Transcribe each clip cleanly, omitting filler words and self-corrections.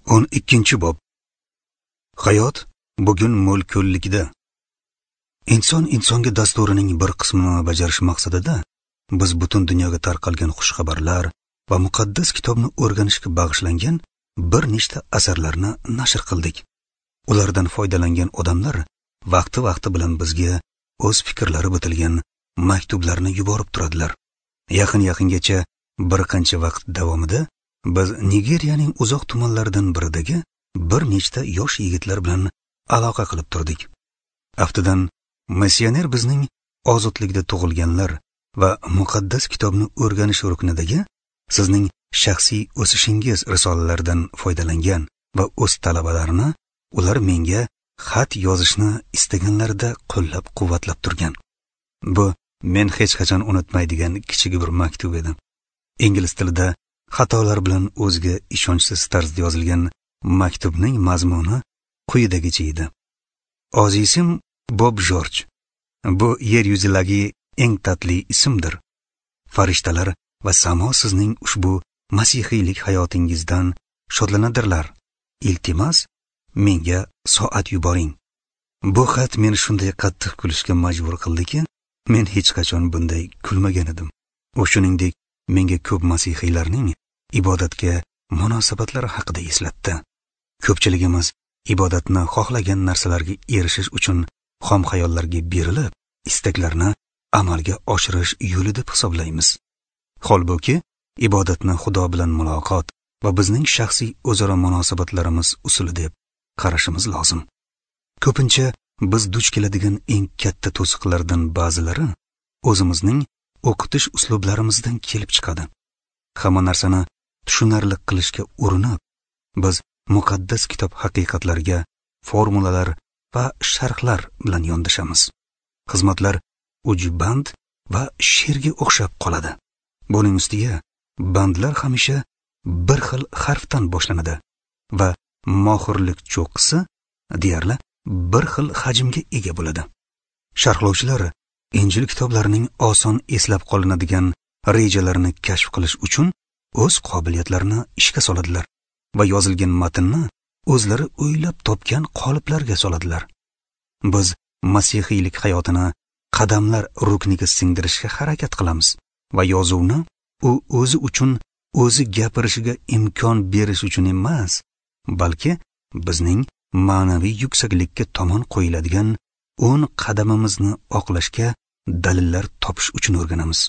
12-bob. Hayot bugun mo'l-ko'llikda. Inson insonga dasturining bir qismini bajarish maqsadida biz butun dunyoga tarqalgan xushxabarlar va muqaddas kitobni o'rganishga bag'ishlangan bir nechta asarlarni nashr qildik. Ulardan foydalangan odamlar vaqti-vaqti bilan bizga o'z fikrlari bitilgan maktublarni yuborib turadilar. Yaqin-yaqingacha bir qancha vaqt davomida biz Nigeriyaning uzoq tumanlaridan biridagi bir nechta yosh yigitlar bilan aloqa qilib turdik. Aftidan missioner bizning ozodlikda tug'ilganlar va muqaddas kitobni o'rganish ruknidagi sizning shaxsiy o'sishingiz risolalaridan foydalangan va o'z talabalarini ular menga xat yozishni istaganlarida qo'llab-quvvatlab turgan. Bu men hech qachon unutmaydigan kichik bir maktub edi. Ingliz tilida xatolar bilan o'ziga ishonchsiz tarzda yozilgan maktubning mazmuni quyidagicha edi. Azizim Bob Jorj, bu yer yuzidagi eng tatli ismdir. Farishtalar va samo sizning ushbu masihiylik hayotingizdan shodlanadirlar. Iltimos, menga soat yuboring. Bu xat meni shunday qattiq kulishga majbur qildiki, men hech qachon bunday kulmagan edim. U shuningdek menga ko'p masihiylarning ibodatga munosabatlari haqida eslatdi. Ko'pchiligimiz ibodatni xohlagan narsalarga erishish uchun xom xayollarga berilib, istaklarni amalga oshirish yo'li deb hisoblaymiz. Holbuki, ibodatni Xudo bilan muloqot va bizning shaxsiy o'zaro munosabatlarimiz usuli deb qarashimiz lozim. Ko'pincha biz duch keladigan eng katta to'siqlardan ba'zilari o'zimizning o'qitish uslublarimizdan kelib chiqadi. Hamma narsani tushunarli qilishga urinib, biz muqaddas kitob haqiqatlariga formulalar va sharhlar bilan yondashamiz. Xizmatlar ujband va she'rga o'xshab qoladi. Buning ustiga bandlar hamisha bir xil harfdan boshlanadi va mohirlik cho'qqisi deyarli bir xil hajmga ega bo'ladi. Sharhlovchilar Injil kitoblarining oson eslab qolinadigan rejalarini kashf qilish uchun o'z qobiliyatlarini ishga soladilar va yozilgan matnni o'zlari o'ylab topgan qoliplarga soladilar. Biz masihiylik hayotini qadamlar rukniga singdirishga harakat qilamiz va yozuvni u o'zi uchun o'zi gapirishiga imkon berish uchun emas, balki bizning ma'naviy yuksaklikka tomon qo'yiladigan 10 qadamimizni oqlashga dalillar topish uchun o'rganamiz.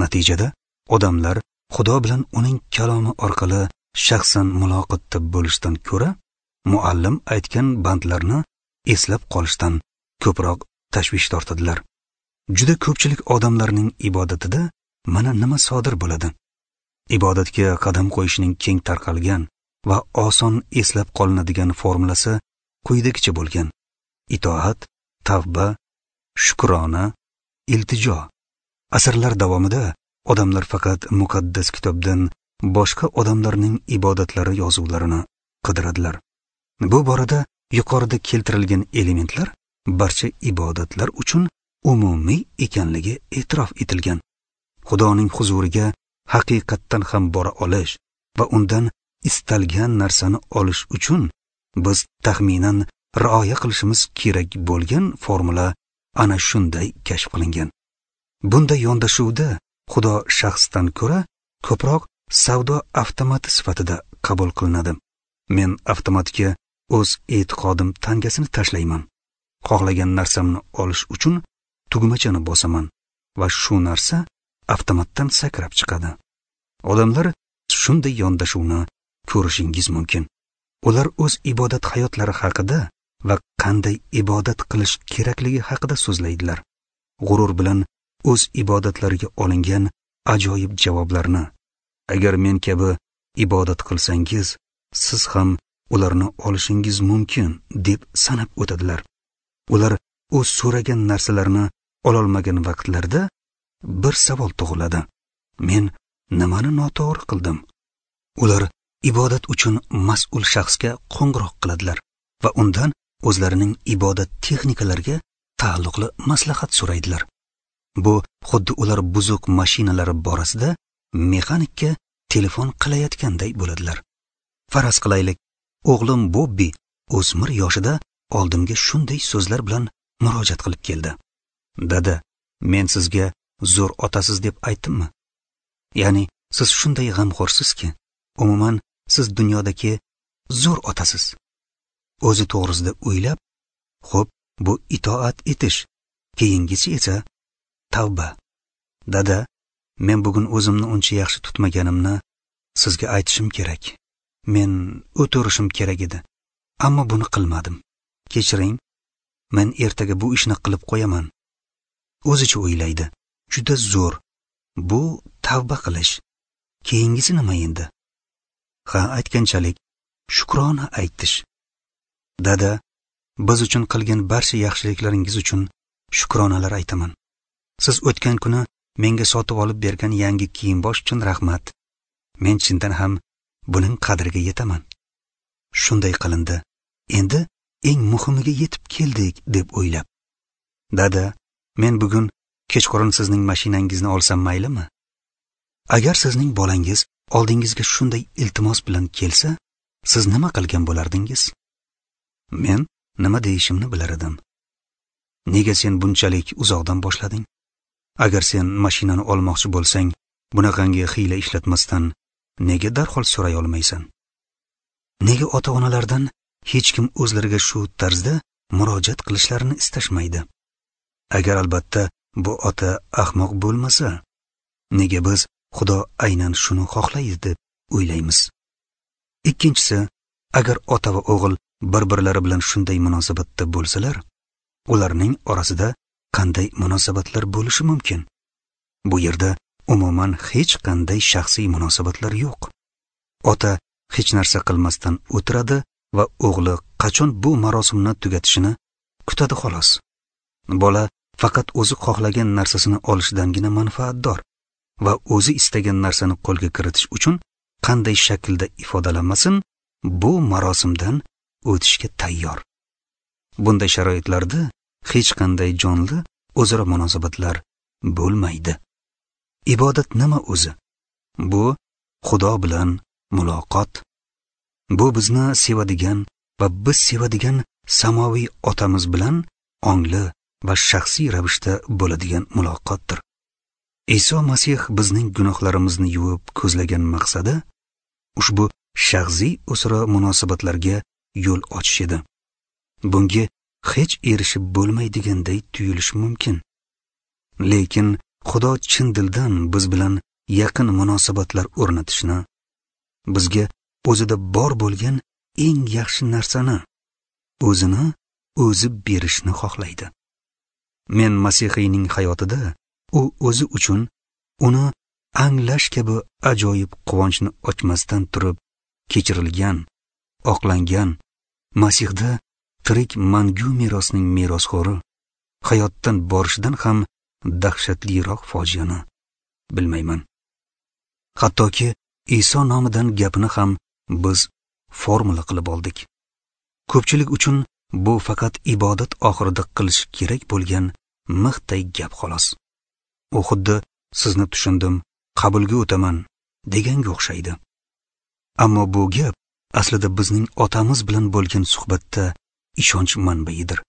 Natijada odamlar Xudo bilan uning kalomi orqali shaxsan muloqotda bo'lishdan ko'ra muallim aytgan bandlarni eslab qolishdan ko'proq tashvish tortadilar. Juda ko'pchilik odamlarning ibodatida mana nima sodir bo'ladi. Ibodatga qadam qo'yishning keng tarqalgan va oson eslab qolinadigan formulasi quyidagicha bo'lgan: itoat, tavba, shukrona, iltijo. Asrlar davomida odamlar faqat muqaddas kitobdan boshqa odamlarning ibodatlari yozuvlarini qidiradilar. Bu borada yuqorida keltirilgan elementlar barcha ibodatlar uchun umumiy ekanligi e'tirof etilgan. Xudoning huzuriga haqiqatdan ham bora olish va undan istalgan narsani olish uchun biz taxminan rioya qilishimiz kerak bo'lgan formula ana shunday kashf qilingan. Bunday yondashuvda Xudo shaxsdan ko'ra ko'proq savdo avtomati sifatida qabul qilinadi. Men avtomatga o'z e'tiqodim tangasini tashlayman. Xohlagan narsamni olish uchun tugmachani bosaman va shu narsa avtomatdan sakrab chiqadi. Odamlar shunday yondashuvni ko'rishingiz mumkin. Ular o'z ibodat hayotlari haqida va qanday ibodat qilish kerakligi haqida so'zlaydilar. G'urur bilan o'z ibodatlariga olingan ajoyib javoblarni, agar men kabi ibodat qilsangiz, siz ham ularni olishingiz mumkin deb sanab o'tadilar. Ular o'z so'ragan narsalarini ololmagan vaqtlarda bir savol tug'iladi: men nimani noto'g'ri qildim? Ular ibodat uchun mas'ul shaxsga qo'ng'iroq qiladilar va undan o'zlarining ibodat texnikalariga taalluqli maslahat so'raydilar. Bu xuddi ular buzuq mashinalari borasida mexanikka telefon qilayotganday bo'ladilar. Faraz qilaylik, O'g'lim Bobbi o'smir yoshida oldimga shunday so'zlar bilan murojaat qilib keldi. Dada, men sizga zo'r otasiz deb aytdimmi? Ya'ni siz shunday g'amxo'rsizki, umuman siz dunyodagi zo'r otasiz. O'zi to'g'risida o'ylab, xo'p, bu itoat etish, keyingisi esa tavba. Dada, men bugun o'zimni uncha yaxshi tutmaganimni sizga aytishim kerak. Men o'tirishim kerak edi, ammo buni qilmadim. Kechiring, men ertaga bu ishni qilib qo'yaman. O'zicha o'ylaydi. Juda zo'r. Bu tavba qilish. Keyingisi nima endi? Ha, aytganchalik shukrona aytish. Dada, biz uchun qilgan barcha yaxshiliklaringiz uchun shukronalar aytaman. Siz o'tgan kuni menga sotib olib bergan yangi kiyim-bosh uchun rahmat. Men chindan ham buning qadriga yetaman. Shunday qilindi. Endi eng muhimiga yetib keldik deb o'ylab. Dada, men bugun kechqurun sizning mashinangizni olsam maylimi? Agar sizning bolangiz oldingizga shunday iltimos bilan kelsa, siz nima qilgan bo'lardingiz? Men nima deyishimni bilar edim. Nega sen bunchalik uzoqdan boshlading? Agar sen mashinani olmoqchi bo'lsang, bunaqangi hiyla ishlatmasdan nega darhol so'ray olmaysan? Nega ota-onalardan hech kim o'zlariga shu tarzda murojaat qilishlarini istashmaydi? Agar albatta bu ota ahmoq bo'lmasa, nega biz Xudo aynan shuni xohlaydi deb o'ylaymiz? Ikkinchisi, agar ota va o'g'il bir-birlari bilan shunday munosabatda bo'lsalar, ularning orasida qanday munosabatlar bo'lishi mumkin? Bu yerda umuman hech qanday shaxsiy munosabatlar yo'q. Ota hech narsa qilmasdan o'tiradi va o'g'li qachon bu marosimni tugatishini kutadi xolos. Bola faqat o'zi xohlagan narsasini olishidangina manfaatdor va o'zi istagan narsani qo'lga kiritish uchun qanday shaklda ifodalanmasin, bu marosimdan o'tishga tayyor. Bunday sharoitlarda hech qanday jonli o'zaro munosabatlar bo'lmaydi. Ibodat nima o'zi? Bu Xudo bilan muloqot. Bu bizni sevadigan va biz sevadigan samoviy otamiz bilan ongli va shaxsiy ravishda bo'ladigan muloqotdir. Iso Masih bizning gunohlarimizni yuvib ko'zlagan maqsadi ushbu shaxsiy o'zaro munosabatlarga yo'l ochish edi. Bunga hech erishib bo'lmaydiganday tuyulishi mumkin. Lekin Xudo chin dildan biz bilan yaqin munosabatlar o'rnatishni, bizga o'zida bor bo'lgan eng yaxshi narsani, o'zini o'zi berishni xohlaydi. Men Masihiyning hayotida u o'zi uchun uni anglash kabi ajoyib quvonchni ochmasdan turib kechirilgan, oqlangan, Masihda tirik mangu merosning merosxo'ri, hayotdan borishidan ham dahshatliroq fojiani bilmayman. Hattoki Iso nomidan gapini ham biz formula qilib oldik. Ko'pchilik uchun bu faqat ibodat oxirida qilish kerak bo'lgan mixday gap xolos. U xuddi sizni tushundim, qabulga o'taman deganga o'xshaydi. Ammo bu gap aslida bizning otamiz bilan bo'lgan suhbatda ishonch manbaidir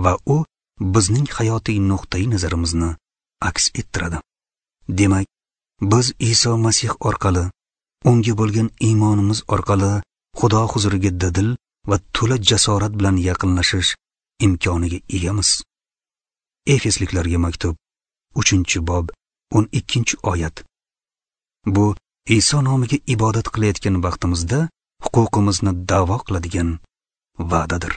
va u bizning hayotiy nuqtai nazarimizni aks ettiradi. Demak, biz Iso Masih orqali, unga bo'lgan iymonimiz orqali Xudo huzuriga dadil va to'la jasorat bilan yaqinlashish imkoniga egamiz. Efesliklarga maktub 3-bob 12-oyat. Bu Iso nomiga ibodat qilayotgan vaqtimizda huquqimizni da'vo qiladigan va'dadir.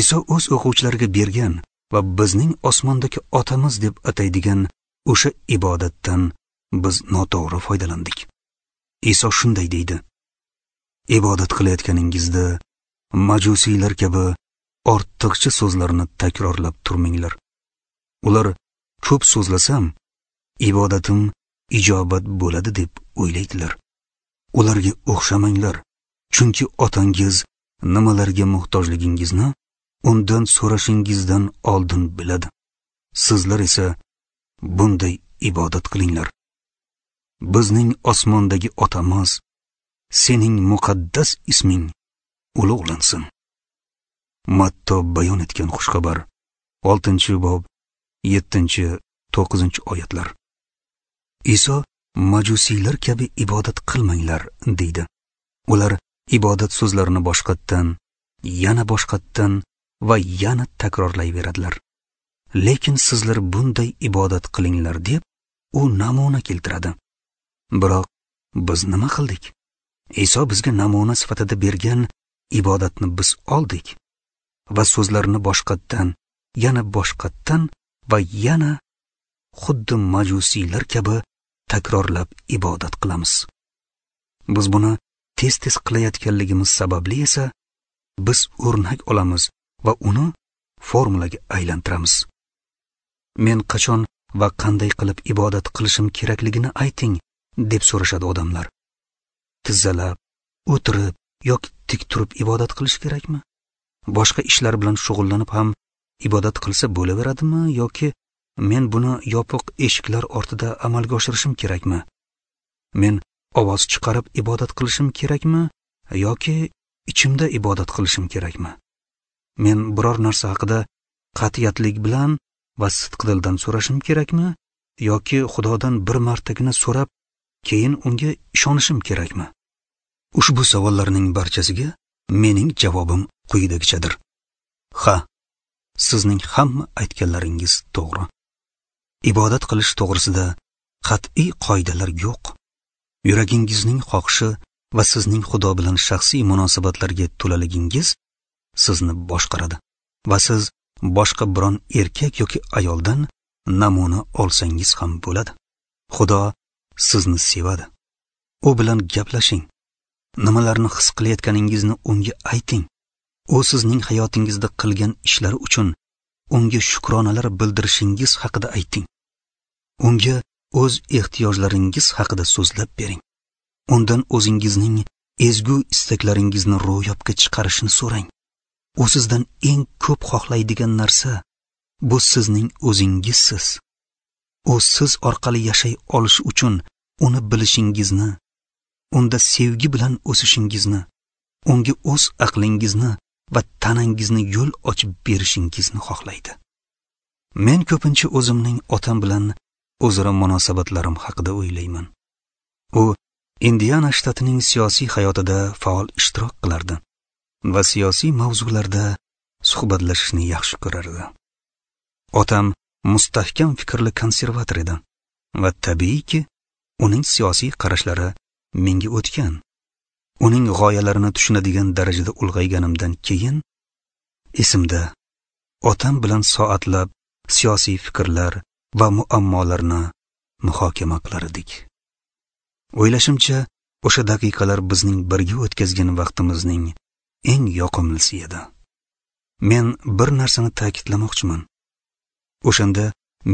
Iso o'z o'quvchilariga bergan va bizning osmondagi otamiz deb ataydigan o'sha ibodatdan biz noto'g'ri foydalandik. Iso shunday deydi: ibodat qilayotganingizda majusiylar kabi ortiqcha so'zlarni takrorlab turmanglar. Ular ko'p so'zlasam ibodatim ijobat bo'ladi deb o'ylaydilar. Ularga o'xshamanglar, chunki otangiz nimalarga muhtojligingizni undan so'rashingizdan oldin biladi. Sizlar esa bunday ibodat qilinglar: Bizning osmondagi otamiz, sening muqaddas isming ulug'lansin. Matto bayon etgan xushxabar, 6-bob, 7-9 oyatlar. Iso majusiylar kabi ibodat qilmanglar deydi. Ular ibodat so'zlarini boshqatdan, yana boshqatdan va yana takrorlayveradilar. Lekin sizlar bunday ibodat qilinglar deb u namuna keltiradi. Biroq biz nima qildik? Iso bizga namuna sifatida bergan ibodatni biz oldik va so'zlarni boshqatdan, yana boshqatdan va yana xuddi majusiylar kabi takrorlab ibodat qilamiz. Biz buni tez-tez qilayotganligimiz sababli esa biz o'rnak olamiz va uni formulaga aylantiramiz. Men qachon va qanday qilib ibodat qilishim kerakligini ayting, deb so'rashadi odamlar. Tizzalab, o'tirib yoki tik turib ibodat qilish kerakmi? Boshqa ishlar bilan shug'ullanib ham ibodat qilsa bo'laveradimi yoki men buni yopiq eshiklar ortida amalga oshirishim kerakmi? Men ovoz chiqarib ibodat qilishim kerakmi yoki ichimda ibodat qilishim kerakmi? Men biror narsa haqida qat'iyatlik bilan va sidqidildan so'rashim kerakmi yoki Xudodan bir martagina so'rab, keyin unga ishonishim kerakmi? Ushbu savollarning barchasiga mening javobim quyidagichadir. Ha, sizning hamma aytganlaringiz to'g'ri. Ibodat qilish to'g'risida qat'iy qoidalar yo'q. Yuragingizning xohishi va sizning Xudo bilan shaxsiy munosabatlarga to'laligingiz sizni boshqaradi va siz boshqa biron erkak yoki ayoldan namuna olsangiz ham bo'ladi. Xudo sizni sevadi. U bilan gaplashing. Nimalarni his qilayotganingizni unga ayting. U sizning hayotingizda qilgan ishlari uchun unga shukronalar bildirishingiz haqida ayting. Unga o'z ehtiyojlaringiz haqida so'zlab bering. Undan o'zingizning ezgu istaklaringizni ro'yobga chiqarishini so'rang. U sizdan eng ko'p xohlaydigan narsa bu sizning o'zingizsiz. U siz orqali yashay olish uchun uni bilishingizni, unda sevgi bilan o'sishingizni, unga o'z aqlingizni va tanangizni yo'l ochib berishingizni xohlaydi. Men ko'pincha o'zimning otam bilan o'zaro munosabatlarim haqida o'ylayman. U Indiana shtatining siyosiy hayotida faol ishtirok qilardi va siyosiy mavzularda suhbatlashishni yaxshi ko'rardi. Otam mustahkam fikrli konservator edi va tabiiyki, uning siyosiy qarashlari menga o'tgan. Uning g'oyalarini tushunadigan darajada ulg'ayganimdan keyin esimda otam bilan soatlab siyosiy fikrlar va muammolarni muhokama qilar edik. O'ylashimcha, o'sha daqiqalar bizning birga o'tkazgan vaqtimizning eng yoqimlisi edi. Men bir narsani ta'kidlamoqchiman. O'shanda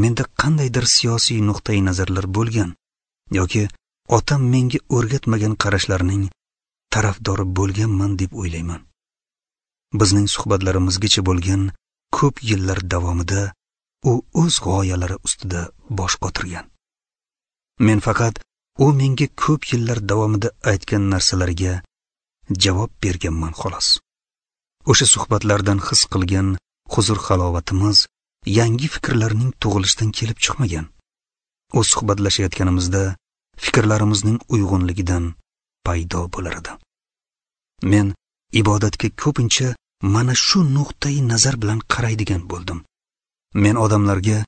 menda qandaydir siyosiy nuqtai nazarlar bo'lgan yoki otam menga o'rgatmagan qarashlarning tarafdori bo'lganman deb o'ylayman. Bizning suhbatlarimizgacha bo'lgan ko'p yillar davomida u o'z g'oyalari ustida bosh qotirgan. Men faqat u menga ko'p yillar davomida aytgan narsalarga javob berganman xolos. O'sha suhbatlardan his qilgan huzur-halovatimiz yangi fikrlarning tug'ilishidan kelib chiqmagan. U suhbatlashayotganimizda fikrlarimizning uyg'unligidan paydo bo'lar edi. Men ibodatga ko'pincha mana shu nuqtai nazar bilan qaraydigan bo'ldim. Men odamlarga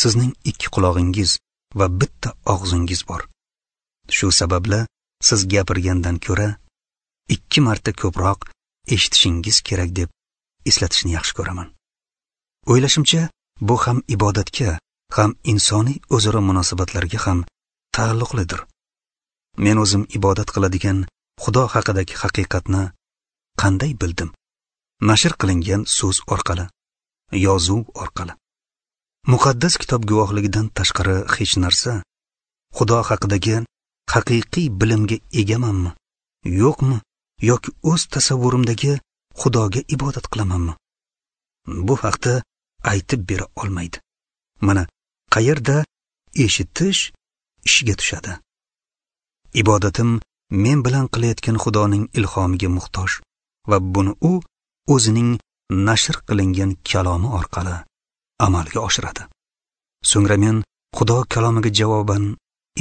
sizning ikki qulog'ingiz va bitta og'zingiz bor. Shu sababli siz gapirgandan ko'ra 2 marta ko'proq eshitishingiz kerak deb eslatishni yaxshi ko'raman. O'ylashimcha, bu ham ibodatga, ham insoniy o'zaro munosabatlarga ham taalluqlidir. Men o'zim ibodat qiladigan Xudo haqidagi haqiqatni qanday bildim? Nashr qilingan so'z orqali, yozuv orqali. Muqaddas kitob guvohligidan tashqari hech narsa Xudo haqidagi haqiqiy bilimga egamanmi, yo'qmi, yoki o'z tasavvurimdagi Xudoga ibodat qilamanmi? Bu haqda aytib bera olmaydi. Mana qayerda eshitish ishga tushadi. Ibodatim men bilan qilayotgan Xudoning ilhomiga muhtoj Va buni u o'zining nashr qilingan kalomi orqali amalga oshiradi. So'ngra men Xudo kalomiga javoban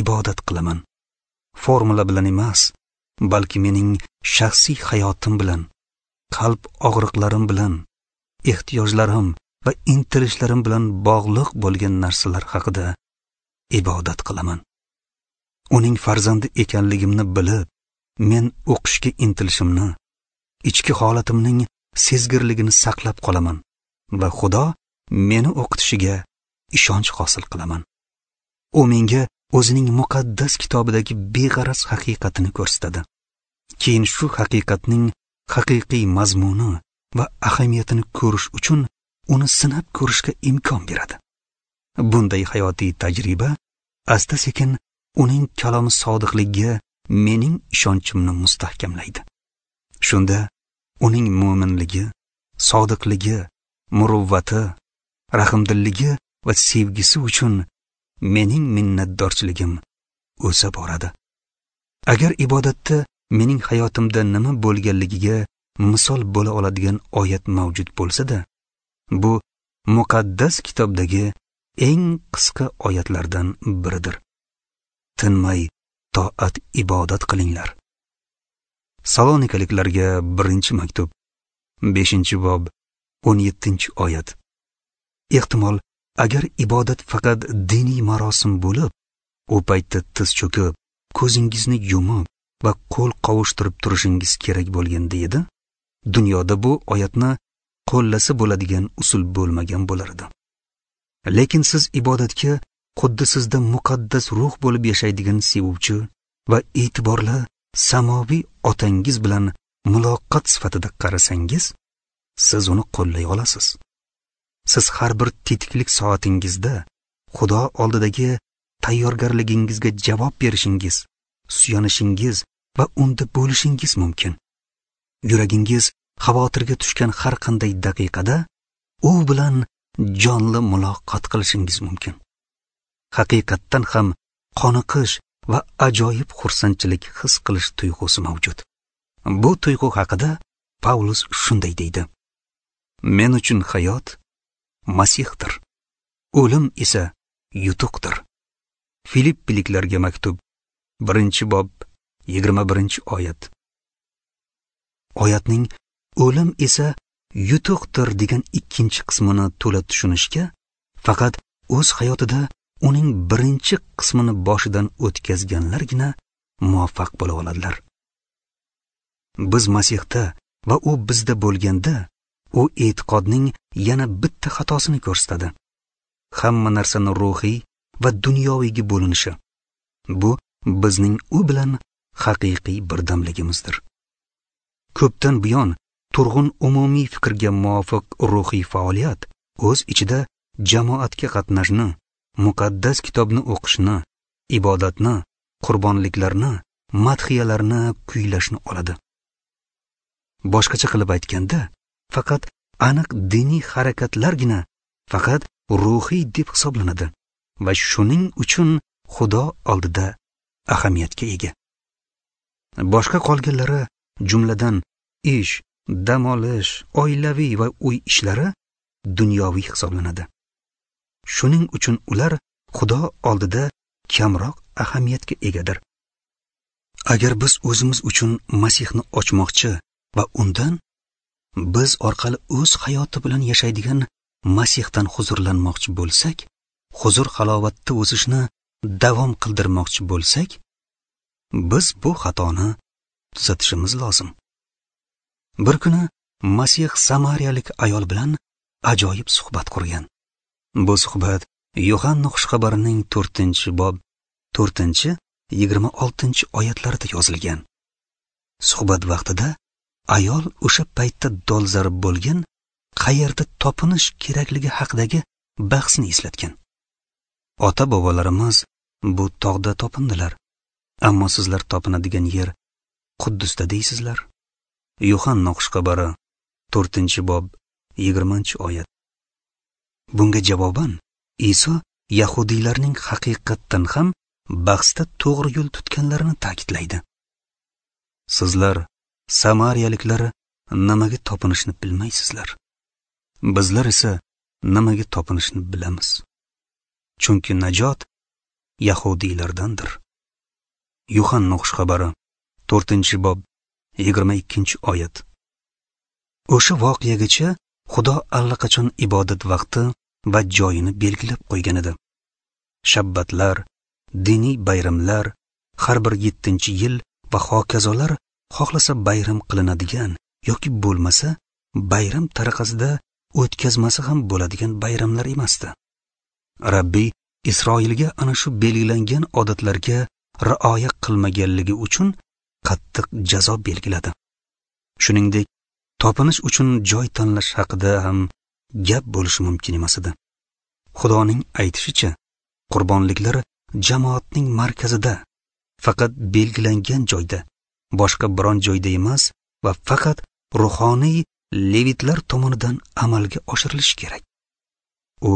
ibodat qilaman. Formula bilan emas, balki mening shaxsiy hayotim bilan, qalb og'riqlarim bilan, ehtiyojlarim va intilishlarim bilan bog'liq bo'lgan narsalar haqida ibodat qilaman. Uning farzandi ekanligimni bilib, men o'qishga intilishimni, ichki holatimning sezgirligini saqlab qolaman va Xudo meni o'qitishiga ishonch hosil qilaman. U menga o'zining muqaddas kitobidagi beg'araz haqiqatini ko'rsatadi. Keyin shu haqiqatning haqiqiy mazmuni va ahamiyatini ko'rish uchun uni sinab ko'rishga imkon beradi. Bunday hayotiy tajriba asta-sekin uning kalomi sodiqligiga mening ishonchimni mustahkamlaydi. Shunda uning mo'minligi, sodiqligi, muruvvati, rahmdilligi va sevgisi uchun mening minnatdorchiligim o'sa boradi. Agar ibodatda mening hayotimda nima bo'lganligiga misol bo'la oladigan oyat mavjud bo'lsa-da, bu muqaddas kitobdagi eng qisqa oyatlardan biridir. Tinmay toat ibodat qilinglar. Salonikaliklarga 1-maktub, 5-bob, 17-oyat. Ehtimol, agar ibodat faqat diniy marosim bo'lib, u paytda tiz cho'kib, ko'zingizni yumib va qo'l qovushtirib turishingiz kerak bo'lganda edi, dunyoda bu oyatni qo'llasa bo'ladigan usul bo'lmagan bo'lar edi. Lekin siz ibodatga xuddi sizda muqaddas ruh bo'lib yashaydigan sevuvchi va e'tiborli samoviy otangiz bilan muloqot sifatida qarasangiz, siz uni qo'llay olasiz. Siz har bir tetiklik soatingizda Xudo oldidagi tayyorgarligingizga javob berishingiz, suyanishingiz va unda bo'lishingiz mumkin. Yuragingiz xavotirga tushgan har qanday daqiqada u bilan jonli muloqot qilishingiz mumkin. Haqiqatdan ham qoniqish va ajoyib xursandchilik his qilish tuyg'usi mavjud. Bu tuyg'u haqida Pavlus shunday deydi: Men uchun hayot Masihdir, o'lim esa yutuqdir. Filippiliklarga maktub, 1-bob, 21-oyat. Oyatning o'lim esa yutuqdir degan ikkinchi qismini to'la tushunishga faqat o'z hayotida uning birinchi qismini boshidan o'tkazganlargina muvaffaq bo'la oladilar. Biz Masihda va u bizda bo'lganda, u e'tiqodning yana bitta xatosini ko'rsatadi. Hamma narsani ruhiy va dunyoviyga bo'linishi. Bu bizning u bilan haqiqiy birdamligimizdir. Ko'pdan buyon turg'un umumiy fikrga muvofiq ruhiy faoliyat o'z ichida jamoatga qatnashni, muqaddas kitobni o'qishni, ibodatni, qurbonliklarni, madhiyalarni kuylashni oladi. Boshqacha qilib aytganda, faqat aniq diniy harakatlargina faqat ruhiy deb hisoblanadi va shuning uchun Xudo oldida ahamiyatga ega. Boshqa qolganlari, jumladan ish, dam olish, oilaviy va uy ishlari dunyoviy hisoblanadi. Shuning uchun ular Xudo oldida kamroq ahamiyatga egadir. Agar biz o'zimiz uchun Masihni ochmoqchi va undan biz orqali o'z hayoti bilan yashaydigan Masihdan huzurlanmoqchi bo'lsak, huzur halovatda o'sishni davom qildirmoqchi bo'lsak, biz bu xatoni tuzatishimiz lozim. Bir kuni Masih samariyalik ayol bilan ajoyib suhbat qurgan. Bu suhbat Yohanna xushxabarining 4-bob 4-26 oyatlarida yozilgan. Suhbat vaqtida ayol o'sha paytda dolzarb bo'lgan qayerda topinish kerakligi haqidagi bahsni eslatgan. Ota-bobolarimiz bu tog'da topindilar, ammo sizlar topinadigan yer Quddusda deysizlar. Yohanna xushxabari 4-bob 20-oyat. Bunga javoban Iso yahudiylarning haqiqatdan ham bahsda to'g'ri yo'l tutganlarini ta'kidlaydi. Sizlar samariyaliklar nimaga topinishni bilmaysizlar. Bizlar esa nimaga topinishni bilamiz. Chunki najot yahudiylardandir. Yuhanna xushxabari 4-bob 22-oyat. O'sha voqeagacha Xudo allaqachon ibodat vaqti va joyini belgilab qo'ygan edi. Shabbatlar, diniy bayramlar, har bir 7-yil va hokazolar xohlasa bayram qilinadigan yoki bo'lmasa bayram tariqasida o'tkazmasa ham bo'ladigan bayramlar emasdi. Rabbiy Isroilga ana shu belgilangan odatlarga rioya qilmaganligi uchun qattiq jazo belgiladi. Shuningdek, topinish uchun joy tanlash haqida ham gap bo'lishi mumkin emas edi. Xudoning aytishicha, qurbonliklar jamoatning markazida, faqat belgilangan joyda, boshqa biron joyda emas va faqat ruhoniy levitlar tomonidan amalga oshirilishi kerak. U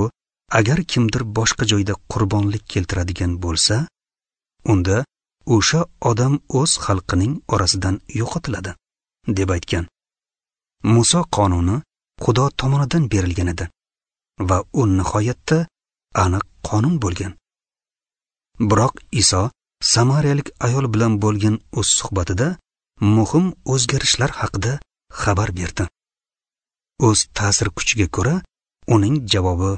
agar kimdir boshqa joyda qurbonlik keltiradigan bo'lsa, unda o'sha odam o'z xalqining orasidan yo'qotiladi, deb aytgan. Muso qonuni Xudo tomonidan berilgan edi va u nihoyatda aniq qonun bo'lgan. Biroq Iso samariyalik ayol bilan bo'lgan o'z suhbatida muhim o'zgarishlar haqida xabar berdi. O'z ta'sir kuchiga ko'ra uning javobi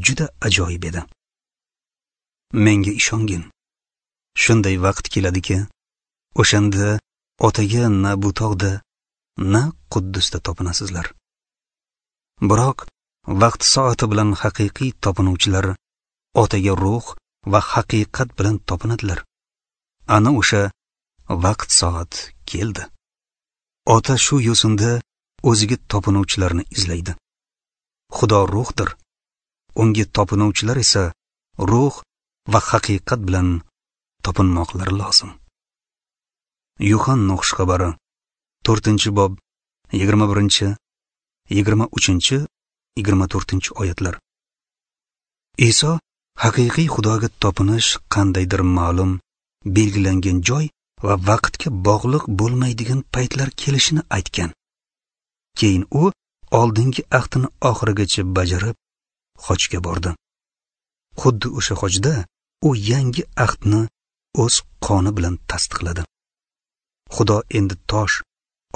juda ajoyib edi. Menga ishongin. Shunday vaqt keladiki, o'shanda Otaga na bu tog'da, na Quddusda topinasizlar. Biroq vaqt soati bilan haqiqiy topinuvchilar Otaga ruh va haqiqat bilan topinadilar. Ana o'sha vaqt soat keldi. Ota shu yo'sinda o'ziga topinuvchilarni izlaydi. Xudo ruhdir. Unga topinuvchilar esa ruh va haqiqat bilan topinmoqlari lozim. Yuhanna xushxabari 4-bob 21, 23, 24-oyatlar. Iso haqiqiy Xudoga topinish qandaydir ma'lum belgilangan joy va vaqtga bog'liq bo'lmaydigan paytlar kelishini aytgan. Keyin u oldingi ahdini oxirigacha bajarib hojga bordi. Xuddi o'sha hojda u yangi ahdni o'z qoni bilan tasdiqladi. Xudo endi tosh,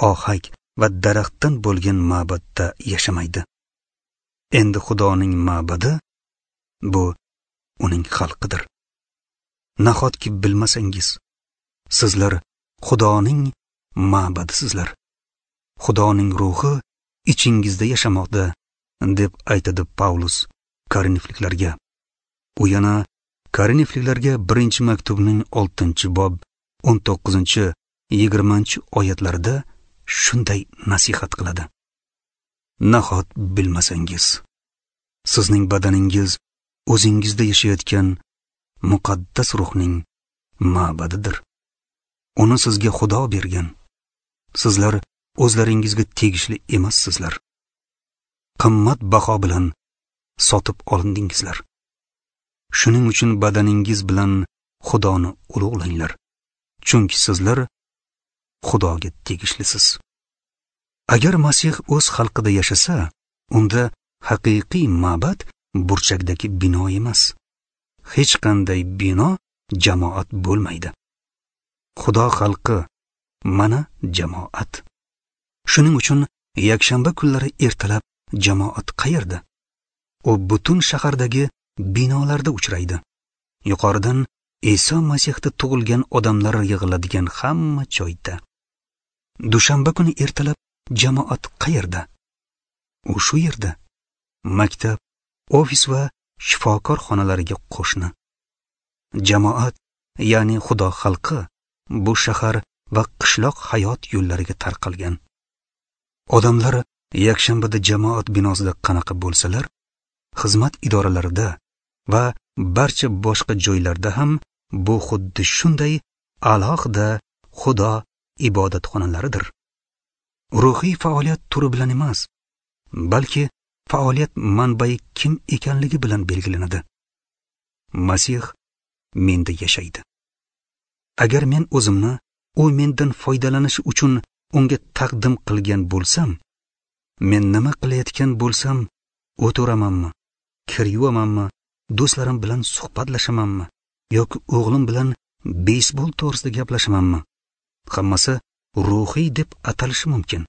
ohak va daraxtdan bo'lgan ma'badda yashamaydi. Endi Xudoning ma'badi bu uning xalqidir. Nahotki bilmasangiz, sizlar Xudoning ma'badisizlar. Xudoning ruhi ichingizda yashamoqda, deb aytadi Pavlus Korinfliklarga. U yana Korinfliklarga 1-maktubning 6-bob 19-20 oyatlarida shunday nasihat qiladi. Nahot bilmasangiz, sizning badaningiz o'zingizda yashayotgan muqaddas ruhning ma'badidir. Uni sizga Xudo bergan. Sizlar o'zlaringizga tegishli emassizlar. Qimmat baho bilan sotib olindingizlar. Shuning uchun badaningiz bilan Xudoni ulug'langlar. Chunki sizlar Xudoga tegishlisiz. Agar Masih o'z xalqida yashasa, unda haqiqiy ma'bad burchakdagi bino emas. Hech qanday bino jamoat bo'lmaydi. Xudo xalqi mana jamoat. Shuning uchun yakshanba kunlari ertalab jamoat qayerda? U butun shahardagi binolarda uchraydi. Yuqoridan Iso Masihda tug'ilgan odamlar yig'iladigan hamma joyda. Dushanba kuni ertalab jamoat qayerda? U shu yerda. Maktab, ofis va shifokor xonalariga qo'shni. Jamoat, ya'ni Xudo xalqi bu shahar va qishloq hayot yo'llariga tarqalgan. Odamlar yakshanbada jamoat binosida qanaqa bo'lsalar, xizmat idoralarida va barcha boshqa joylarda ham bu xuddi shunday alohida Xudo ibodatxonalaridir. Ruhiy faoliyat turi bilan emas, balki faoliyat manbai kim ekanligi bilan belgilanadi. Masih menda yashaydi. Agar men o'zimni u mendan foydalanishi uchun unga taqdim qilgan bo'lsam, men nima qilayotgan bo'lsam, o'tiramanmi, kir yuvamanmi, do'stlarim bilan suhbatlashamanmi yoki o'g'lim bilan beysbol to'g'risida gaplashamanmi, hammasi ruhiy deb atalishi mumkin.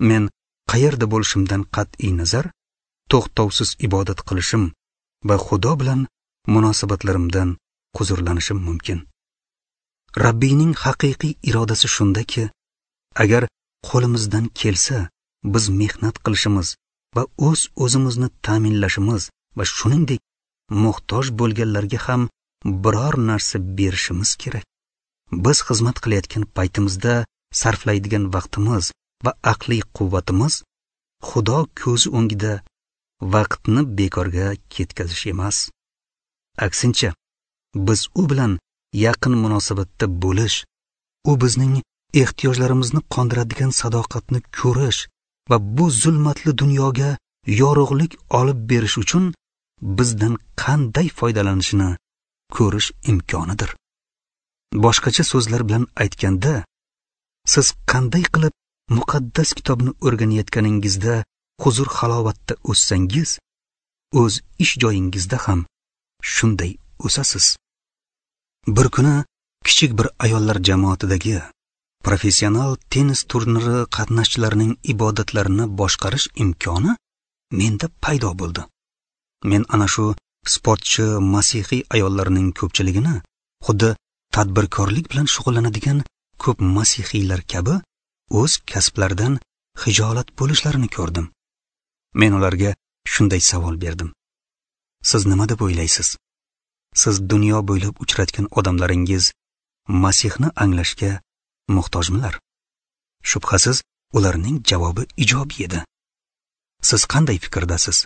Men qayerda bo'lishimdan qat'iy nazar, to'xtovsiz ibodat qilishim va Xudo bilan munosabatlarimdan huzurlanishim mumkin. Rabbiyning haqiqiy irodasi shundaki, agar qo'limizdan kelsa, biz mehnat qilishimiz va o'z o'zimizni ta'minlashimiz va shuningdek muhtoj bo'lganlarga ham biror narsa berishimiz kerak. Biz xizmat qilayotgan paytimizda sarflaydigan vaqtimiz va aqliy quvvatimiz Xudo ko'zi o'ngida vaqtni bekorga ketkazish emas. Aksincha, biz u bilan yaqin munosabatda bo'lish, u bizning ehtiyojlarimizni qondiradigan sadoqatni ko'rish va bu zulmatli dunyoga yorug'lik olib berish uchun bizdan qanday foydalanishini ko'rish imkonidir. Boshqacha so'zlar bilan aytganda, siz qanday qilib muqaddas kitobni o'rganayotganingizda huzur halovatda o'ssangiz, o'z ish joyingizda ham shunday o'sasiz. Bir kuni kichik bir ayollar jamoatidagi professional tennis turniri qatnashchilarining ibodatlarini boshqarish imkoni menda paydo bo'ldi. Men ana shu sportchi masihiy ayollarning ko'pchiligini xuddi tadbirkorlik bilan shug'ullanadigan ko'p masihiylar kabi o'z kasblaridan xijolat bo'lishlarini ko'rdim. Men ularga shunday savol berdim: siz nima deb o'ylaysiz? Siz dunyo bo'ylab uchratgan odamlaringiz Masihni anglashga muhtojmilar? Shubhasiz, ularning javobi ijobiy edi. Siz qanday fikrdasiz?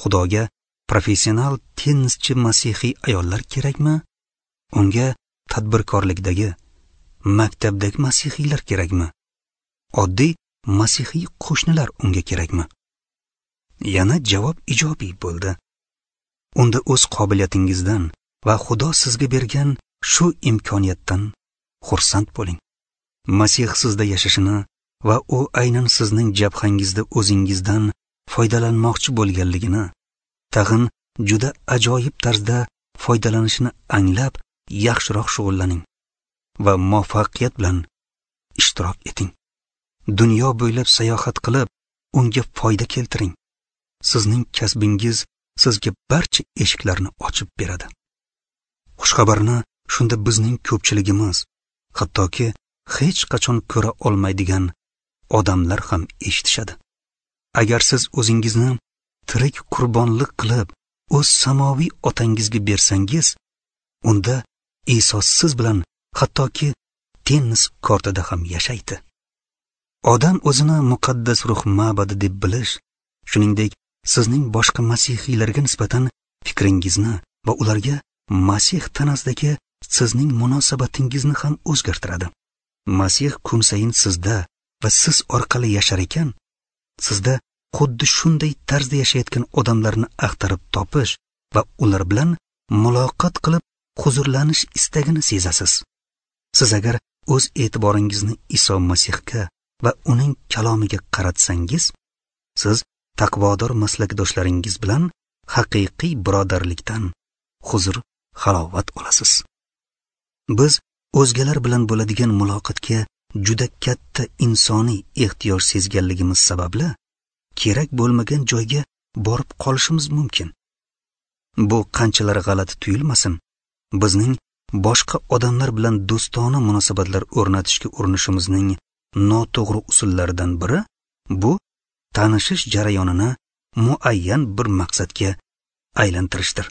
Xudoga professional tennischi masihiy ayollar kerakmi? Unga tadbirkorlikdagi, maktabdagi masihiylar kerakmi? Oddiy masihiy qo'shnilar unga kerakmi? Yana javob ijobiy bo'ldi. Unda o'z qobiliyatingizdan va Xudo sizga bergan shu imkoniyatdan xursand bo'ling. Masih sizda yashashini va u aynan sizning jabhangizda o'zingizdan foydalanmoqchi bo'lganligini, tag'in juda ajoyib tarzda foydalanishini anglab, yaxshiroq shug'ullaning va muvaffaqiyat bilan ishtirok eting. Dunyo bo'ylab sayohat qilib, unga foyda keltiring. Sizning kasbingiz sizga barcha eshiklarni ochib beradi. Xushxabarni shunda bizning ko'pchiligimiz, hattoki hech qachon ko'ra olmaydigan odamlar ham eshitishadi. Agar siz o'zingizni tirik qurbonlik qilib, o'z samoviy otangizga bersangiz, unda Iso siz bilan hattoki tennis kortida ham yashaydi. Odam o'zini muqaddas ruh ma'badi deb bilish, shuningdek sizning boshqa masihiylarga nisbatan fikringizni va ularga Masih tanasidagi sizning munosabatingizni ham o'zgartiradi. Masih kun sayin sizda va siz orqali yashar ekan, sizda xuddi shunday tarzda yashayotgan odamlarni axtarib topish va ular bilan muloqot qilib huzurlanish istagini sezasiz. Siz agar o'z e'tiboringizni Iso Masihga va uning kalomiga qaratsangiz, siz taqvodor maslakdoshlaringiz bilan haqiqiy birodarlikdan huzur halovat olasiz. Biz o'zgalar bilan bo'ladigan muloqotga juda katta insoniy ehtiyoj sezganligimiz sababli kerak bo'lmagan joyga borib qolishimiz mumkin. Bu qanchalar g'alati tuyulmasin, bizning boshqa odamlar bilan do'stona munosabatlar o'rnatishga urinishimizning noto'g'ri usullaridan biri bu tanishish jarayonini muayyan bir maqsadga aylantirishdir.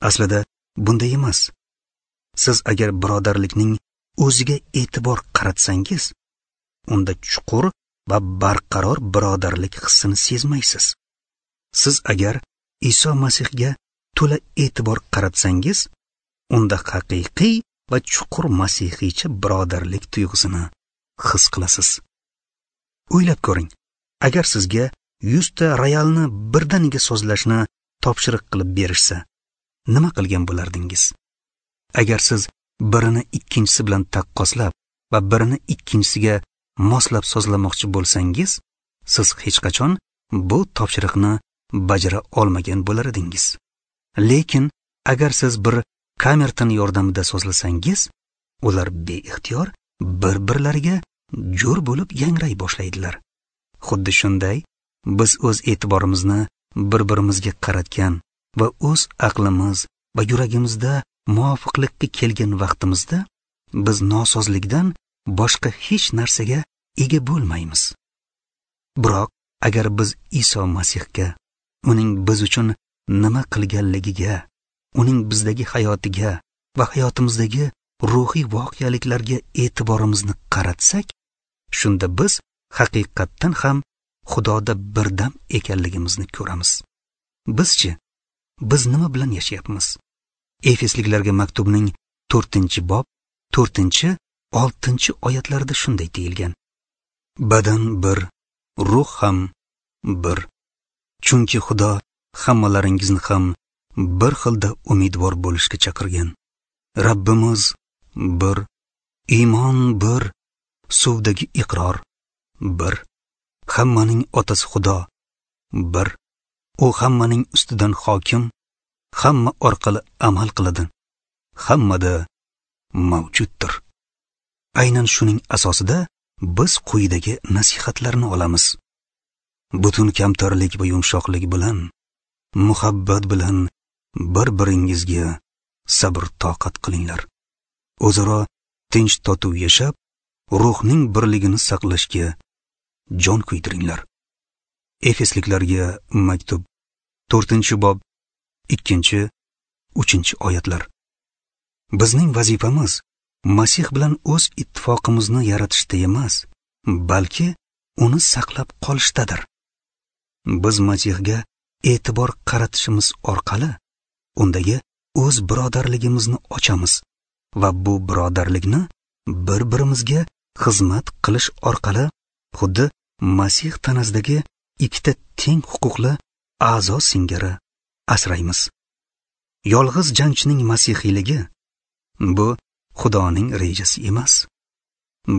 Aslida bunday emas. Siz agar birodarlikning o'ziga e'tibor qaratsangiz, unda chuqur va barqaror birodarlik hissini sezmaysiz. Siz agar Iso Masihga to'la e'tibor qaratsangiz, unda haqiqiy va chuqur masihiycha birodarlik tuyg'usini his qilasiz. O'ylab ko'ring, agar sizga 100 ta royalni birdaniga sozlashni topshiriq qilib berishsa, nima qilgan bo'lardingiz? Agar siz birini ikkinchisi bilan taqqoslab, va birini ikkinchisiga moslab sozlamoqchi bo'lsangiz, siz hech qachon bu topshiriqni bajara olmagan bo'lar edingiz. Lekin agar siz bir kamerton yordamida sozlasangiz, ular beixtiyor bir-birlariga jo'r bo'lib yangray boshlaydilar. Xuddi shunday, biz o'z e'tiborimizni bir-birimizga qaratgan va o'z aqlimiz va yuragimizda muvofiqlikka kelgan vaqtimizda biz nosozlikdan boshqa hech narsaga ega bo'lmaymiz. Biroq agar biz Iso Masihga, uning biz uchun nima qilganligiga, uning bizdagi hayotiga va hayotimizdagi ruhiy voqeliklarga e'tiborimizni qaratsak, shunda biz haqiqatdan ham Xudoda birdam ekanligimizni ko'ramiz. Bizchi, biz nima bilan yashayapmiz? Efesliklarga maktubning 4-bob 4-6 oyatlarida shunday deyilgan: Badan bir, ruh ham bir. Chunki Xudo hammalaringizni ham bir xilda umidvor bo'lishga chaqirgan. Rabbimiz bir, iymon bir, suvdagi iqror bir. Hammaning otasi Xudo bir. U hammaning ustidan hokim, hamma orqali amal qiladi, hammada mavjuddir. Aynan shuning asosida biz quyidagi nasihatlarni olamiz. Butun kamtarlik va yumshoqlik bilan, muhabbat bilan bir-biringizga sabr toqat qilinglar. O'zaro tinch totuv yashab, ruhning birligini saqlashga jon kuydiringlar. Efesliklarga maktub 4-bob 2-3 oyatlar. Bizning vazifamiz Masih bilan o'z ittifoqimizni yaratishda emas, balki uni saqlab qolishdadir. Biz Masihga e'tibor qaratishimiz orqali undagi o'z birodarligimizni ochamiz va bu birodarlikni bir-birimizga xizmat qilish orqali xuddi Masih tanasidagi ikkita teng huquqli a'zo singari asraymiz. Yolg'iz jangchining masihiyligi bu Xudoning rejasi emas.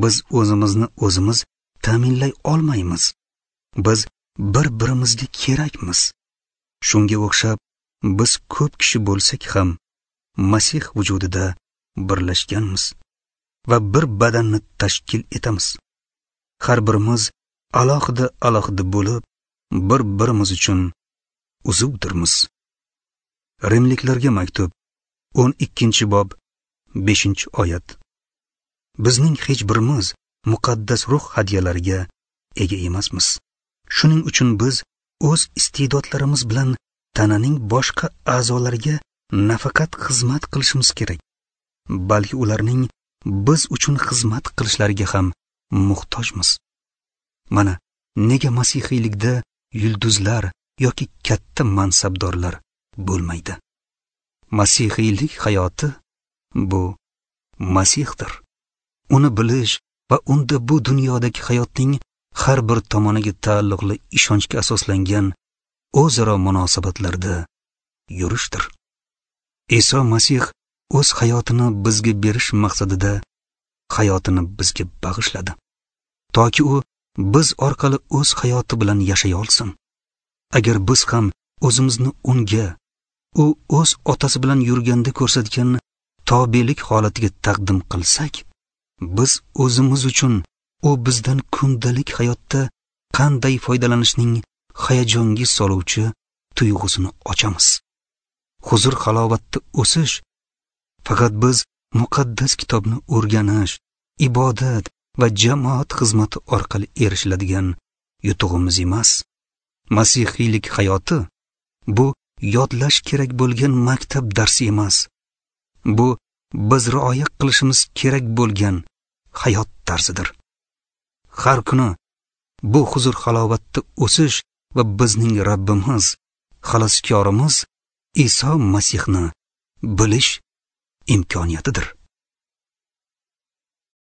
Biz o'zimizni o'zimiz ta'minlay olmaymiz. Biz bir-birimizga kerakmiz. Shunga o'xshab biz ko'p kishi bo'lsak ham Masih vujudida birlashganmiz va bir badanni tashkil etamiz. Har birimiz alohida-alohida bo'lib, bir-birimiz uchun uzuvdirmiz. Rimliklarga maktub 12-bob 5-oyat. Bizning hech birimiz muqaddas ruh hadiyalariga ega emasmiz. Shuning uchun biz o'z iste'dodlarimiz bilan tananing boshqa a'zolariga nafaqat xizmat qilishimiz kerak, balki ularning biz uchun xizmat qilishlariga ham muhtojmiz. Mana nega masihiylikda yulduzlar yoki katta mansabdorlar bo'lmaydi. Masihiylik hayoti bu Masihdir. Uni bilish va unda bu dunyodagi hayotning har bir tomoniga taalluqli ishonchga asoslangan o'zaro munosabatlarda yurishdir. Iso Masih o'z hayotini bizga berish maqsadida hayotini bizga bag'ishladi, toki u biz orqali o'z hayoti bilan yashay olsin. Agar biz ham o'zimizni unga, u o'z otasi bilan yurganda ko'rsatgan tobelik holatiga taqdim qilsak, biz o'zimiz uchun u bizdan kundalik hayotda qanday foydalanishning hayajonga soluvchi tuyg'usini ochamiz. Huzur halovatda o'sish faqat biz muqaddas kitobni o'rganish, ibodat va jamoat xizmati orqali erishiladigan yutug'imiz emas. Masihiylik hayoti bu yodlash kerak bo'lgan maktab darsi emas. Bu biz rioya qilishimiz kerak bo'lgan hayot tarzidir. Har kuni bu huzur halovatda o'sish va bizning Rabbimiz, xaloskorimiz Iso Masihni bilish imkoniyatidir.